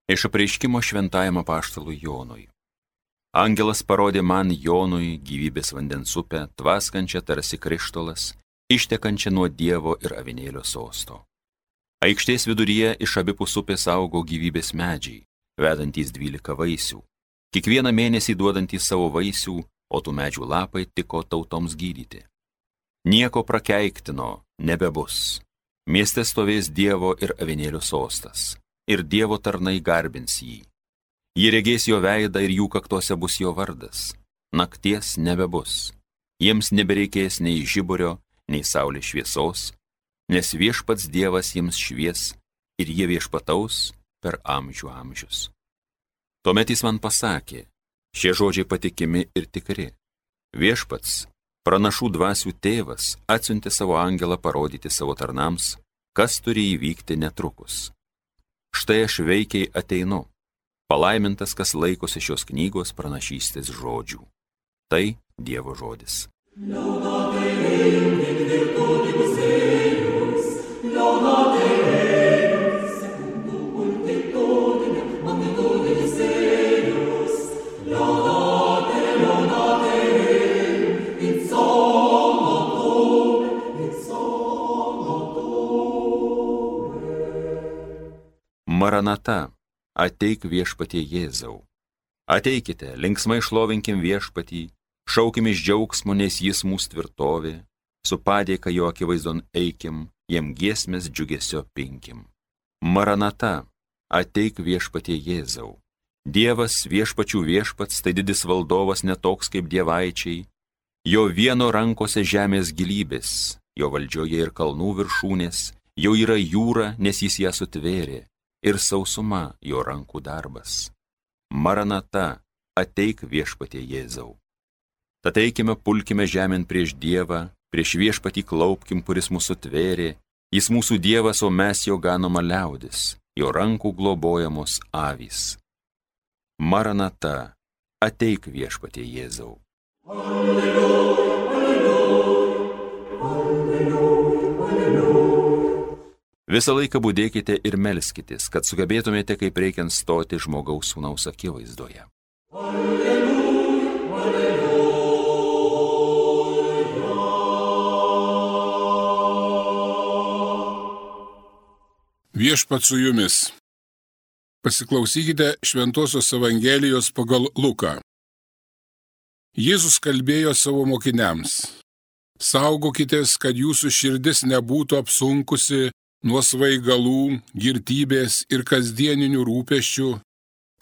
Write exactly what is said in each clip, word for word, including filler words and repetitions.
Iš apreiškimo šventajam apaštalui Jonui. Angelas parodė man Jonui gyvybės vandens upę, tvaskančią tarsi krištolas, ištekančią nuo Dievo ir avinėlio sosto. Aikštės viduryje iš abipus upės augo gyvybės medžiai, vedantys dvylika vaisių, kiekvieną mėnesį duodantys savo vaisių, o tų medžių lapai tiko tautoms gydyti. Nieko prakeiktino nebebus. Mieste stovės Dievo ir avinėlio sostas, ir Dievo tarnai garbins jį. Jie regės jo veidą ir jų kaktose bus jo vardas. Nakties nebebus. Jiems nebereikės nei žiburio, nei saulės šviesos, nes viešpats Dievas jiems švies ir jie viešpataus per amžių amžius. Tuomet jis man pasakė, šie žodžiai patikimi ir tikri. Viešpats, pranašų dvasių tėvas, atsiuntė savo angelą parodyti savo tarnams, kas turi įvykti netrukus. Štai aš veikiai ateinu. Palaimintas, kas laikosi šios knygos pranašystės žodžių. Tai Dievo žodis. Maranata, ateik viešpatie Jėzau. Ateikite, linksmai šlovinkim viešpatį, šaukim iš džiaugsmo, nes jis mūsų tvirtovė, su padėka jo akivaizdon eikim, jam giesmės džiugesio pinkim. Maranata, ateik viešpatie Jėzau. Dievas viešpačių viešpats, tai didis valdovas netoks kaip dievaičiai, jo vieno rankose žemės gilybės, jo valdžioje ir kalnų viršūnės, jo yra jūra, nes jis ją sutvėrė, ir sausuma jo rankų darbas. Maranata, ateik viešpatie Jėzau. Tad eikime, pulkime žemėn prieš Dievą, prieš viešpatį klaupkim, kuris mūsų tvėrė, jis mūsų Dievas, o mes jo ganoma liaudis, jo rankų globojamos avys. Maranata, ateik viešpatie Jėzau. Alleluja, alleluja, alleluja, alleluja. Visą laiką budėkite ir melskitės, kad sugebėtumėte kaip reikiant stoti žmogaus sūnaus akivaizdoje. Alleluja, alleluja. Viešpats su jumis. Pasiklausykite Šventosios Evangelijos pagal Luką. Jėzus kalbėjo savo mokiniams. Saugokitės, kad jūsų širdis nebūtų apsunkusi nuo svaigalų, girtybės ir kasdieninių rūpesčių,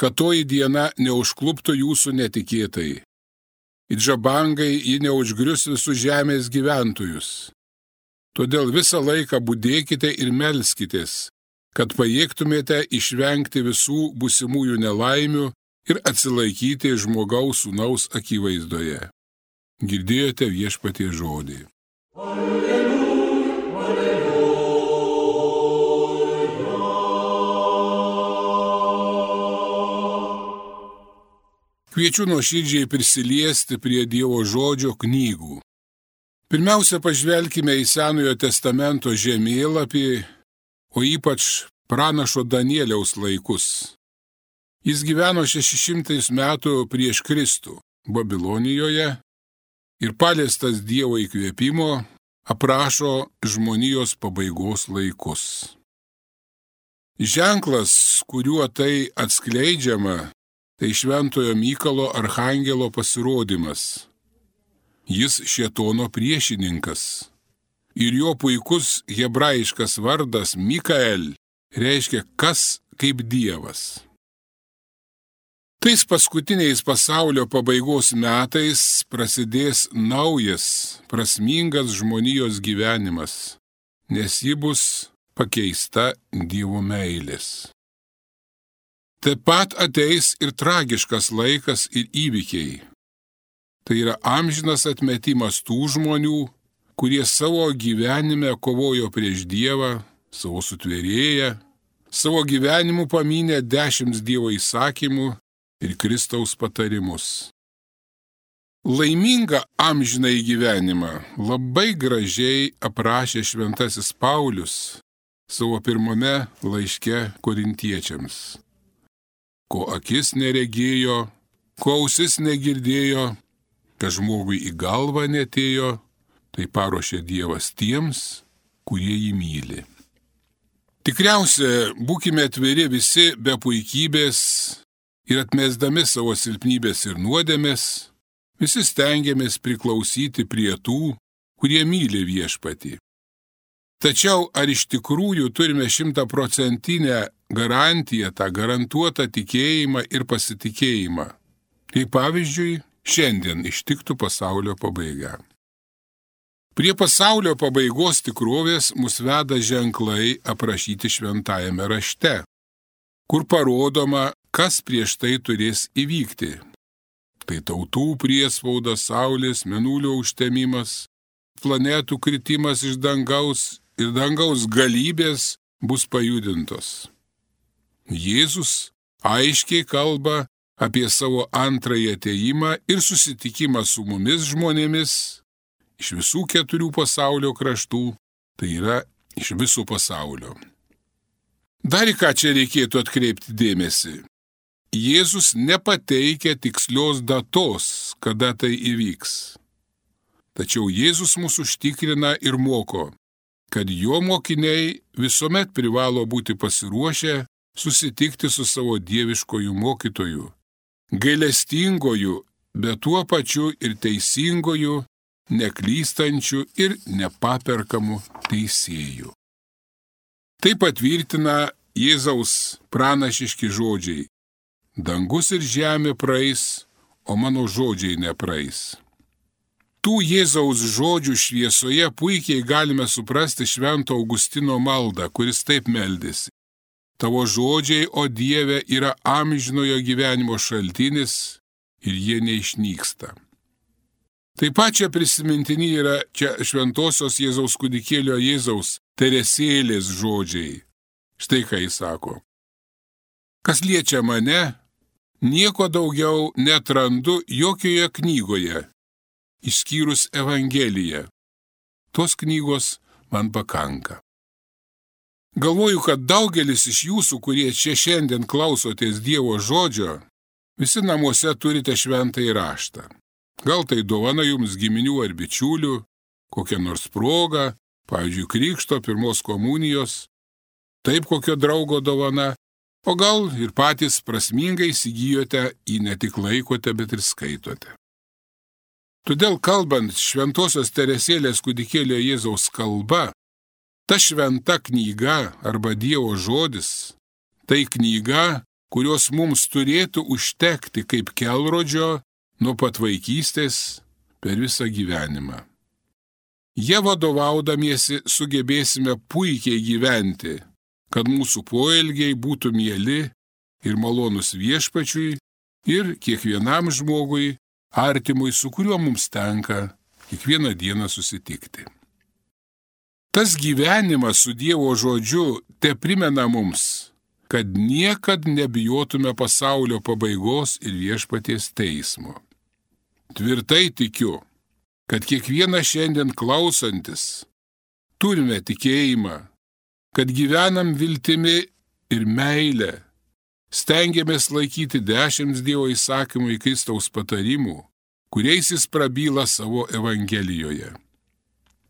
kad toji diena neužkluptų jūsų netikėtai. It žabangai ji neužgrius visus žemės gyventojus. Todėl visą laiką budėkite ir melskitės, kad pajėgtumėte išvengti visų būsimųjų nelaimių ir atsilaikyti žmogaus sūnaus akivaizdoje. Girdėjote viešpaties žodį. Alleluja, alleluja. Kviečiu nuoširdžiai prisiliesti prie Dievo žodžio knygų. Pirmiausia, pažvelkime į Senojo testamento žemėlapį, o ypač pranašo Danieliaus laikus. Jis gyveno šešišimtais metų prieš Kristų Babilonijoje ir paliestas Dievo įkvėpimo aprašo žmonijos pabaigos laikus. Ženklas, kuriuo tai atskleidžiama, tai šventojo Mykolo archangelo pasirodymas. Jis šėtono priešininkas. Ir jo puikus hebrajiškas vardas Mikael reiškia kas kaip Dievas. Tais paskutiniais pasaulio pabaigos metais prasidės naujas, prasmingas žmonijos gyvenimas, nes ji bus pakeista Dievo meilės. Taip pat ateis ir tragiškas laikas ir įvykiai. Tai yra amžinas atmetimas tų žmonių, kurie savo gyvenime kovojo prieš Dievą, savo sutvėrėją, savo gyvenimu pamynė dešimt Dievo įsakymų ir Kristaus patarimus. Laimingą amžinąjį gyvenimą labai gražiai aprašė šventasis Paulius savo pirmame laiške korintiečiams. ko akis neregėjo, ko ausis negirdėjo, kas žmogui į galvą netėjo, tai paruošė Dievas tiems, kurie jį myli. Tikriausia, būkime atviri visi be puikybės ir atmesdami savo silpnybės ir nuodėmės, visi stengiamės priklausyti prie tų, kurie myli viešpatį. Tačiau ar iš tikrųjų turime šimtaprocentinę garantiją, tą garantuotą tikėjimą ir pasitikėjimą? Kaip pavyzdžiui, šiandien ištiktų pasaulio pabaiga. Prie pasaulio pabaigos tikrovės mus veda ženklai aprašyti šventajame rašte, kur parodoma, kas prieš tai turės įvykti. Tai tautų priespauda, saulės, mėnulio užtemimas, planetų kritimas iš dangaus ir dangaus galybės bus pajudintos. Jėzus aiškiai kalba apie savo antrąjį atėjimą ir susitikimą su mumis žmonėmis iš visų keturių pasaulio kraštų, tai yra iš viso pasaulio. Dar į ką čia reikėtų atkreipti dėmesį. Jėzus nepateikia tikslios datos, kada tai įvyks. Tačiau Jėzus mus užtikrina ir moko, kad jo mokiniai visuomet privalo būti pasiruošę susitikti su savo dieviškoju mokytoju, gailestingoju, bet tuo pačiu ir teisingoju, neklystančiu ir nepaperkamu teisėju. Tai patvirtina Jėzaus pranašiški žodžiai: dangus ir žemė praeis, o mano žodžiai nepraeis. Tų Jėzaus žodžių šviesoje puikiai galime suprasti Švento Augustino maldą, kuris taip meldėsi: tavo žodžiai, o Dieve, yra amžinojo gyvenimo šaltinis ir jie neišnyksta. Taip pat čia prisimintini yra čia šventosios Jėzaus kūdikėlio Jėzaus Teresėlės žodžiai. Štai ką jis sako: kas liečia mane, nieko daugiau netrandu jokioje knygoje, išskyrus Evangeliją. Tos knygos man pakanka. Galvoju, kad daugelis iš jūsų, kurie čia šiandien klausotės Dievo žodžio, visi namuose turite šventąjį raštą. Gal tai dovana jums giminių ar bičiulių, kokia nors proga, pavyzdžiui, krikšto, pirmos komunijos, taip kokio draugo dovana, o gal ir patys prasmingai įsigijote, jį ne tik laikote, bet ir skaitote. Todėl kalbant šventosios Teresėlės kūdikėlio Jėzaus kalba, ta šventa knyga arba Dievo žodis, tai knyga, kurios mums turėtų užtekti kaip kelrodžio nuo pat vaikystės per visą gyvenimą. Jie vadovaudamiesi sugebėsime puikiai gyventi, kad mūsų poelgiai būtų mieli ir malonus viešpačiui ir kiekvienam žmogui, artimui, su kuriuo mums tenka kiekvieną dieną susitikti. Tas gyvenimas su Dievo žodžiu te primena mums, kad niekad nebijotume pasaulio pabaigos ir viešpaties teismo. Tvirtai tikiu, kad kiekvienas šiandien klausantis turime tikėjimą, kad gyvenam viltimi ir meilę, stengiamės laikyti dešimt Dievo įsakymų į Kristaus patarimų, kuriais jis prabyla savo Evangelijoje.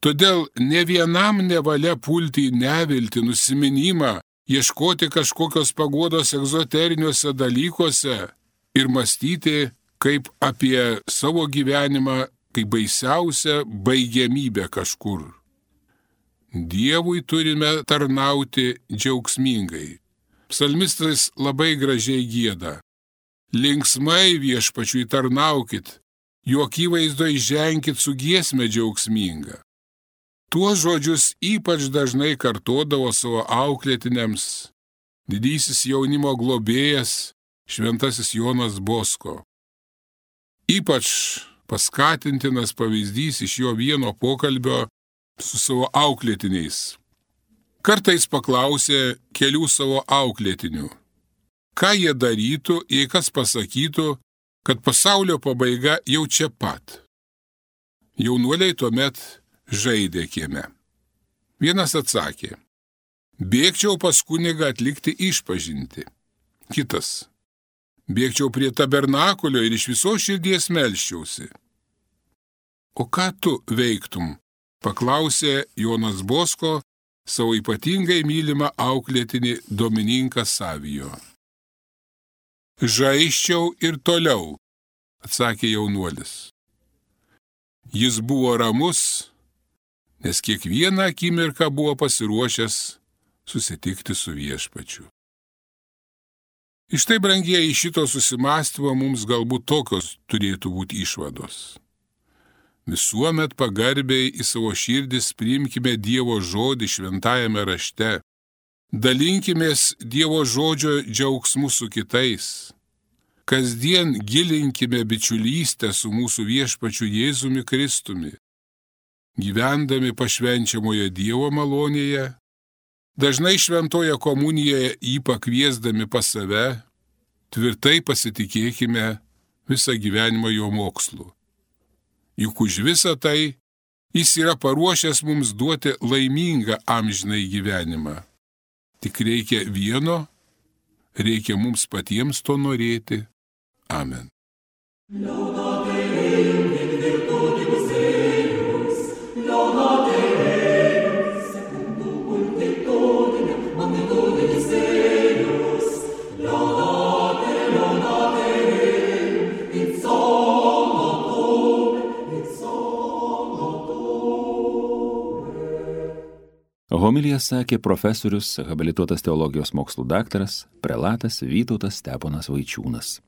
Todėl ne vienam nevalia pulti į neviltį, nusiminimą, ieškoti kažkokios paguodos egzoteriniuose dalykuose ir mąstyti kaip apie savo gyvenimą, kaip baisiausią baigiamybę kažkur. Dievui turime tarnauti džiaugsmingai. Psalmistas labai gražiai gieda: linksmai viešpačiui tarnaukit, jo akivaizdoj ženkit su giesme džiaugsminga. Tuos žodžius ypač dažnai kartodavo savo auklėtiniams didysis jaunimo globėjas šventasis Jonas Bosko. Ypač paskatintinas pavyzdys iš jo vieno pokalbio su savo auklėtiniais. Kartais paklausė kelių savo auklėtinių, ką jie darytų, jei kas pasakytų, kad pasaulio pabaiga jau čia pat. Jaunuoliai tuomet žaidė kieme. Vienas atsakė: bėgčiau pas kunigą atlikti išpažintį. Kitas: bėgčiau prie tabernakulio ir iš viso širdies melščiausi. O ką tu veiktum? Paklausė Jonas Bosko savo ypatingai mylimą auklėtinį Domininką Savijo. Žaisčiau ir toliau, atsakė jaunuolis. Jis buvo ramus, nes kiekvieną akimirką buvo pasiruošęs susitikti su viešpačiu. Iš tai, brangieji, šito susimąstymo mums galbūt tokios turėtų būti išvados. Visuomet pagarbiai į savo širdis priimkime Dievo žodį šventajame rašte. Dalinkimės Dievo žodžio džiaugsmu su kitais. Kasdien gilinkime bičiulystę su mūsų viešpačiu Jėzumi Kristumi. Gyvendami pašvenčiamoje Dievo malonėje, dažnai šventoje komunijoje jį pakviesdami pas save, tvirtai pasitikėkime visą gyvenimą jo mokslu. Juk už visą tai jis yra paruošęs mums duoti laimingą amžinai gyvenimą. Tik reikia vieno, reikia mums patiems to norėti. Amen. Homiliją sakė profesorius, habilituotas teologijos mokslų daktaras, prelatas Vytautas Steponas Vaičiūnas.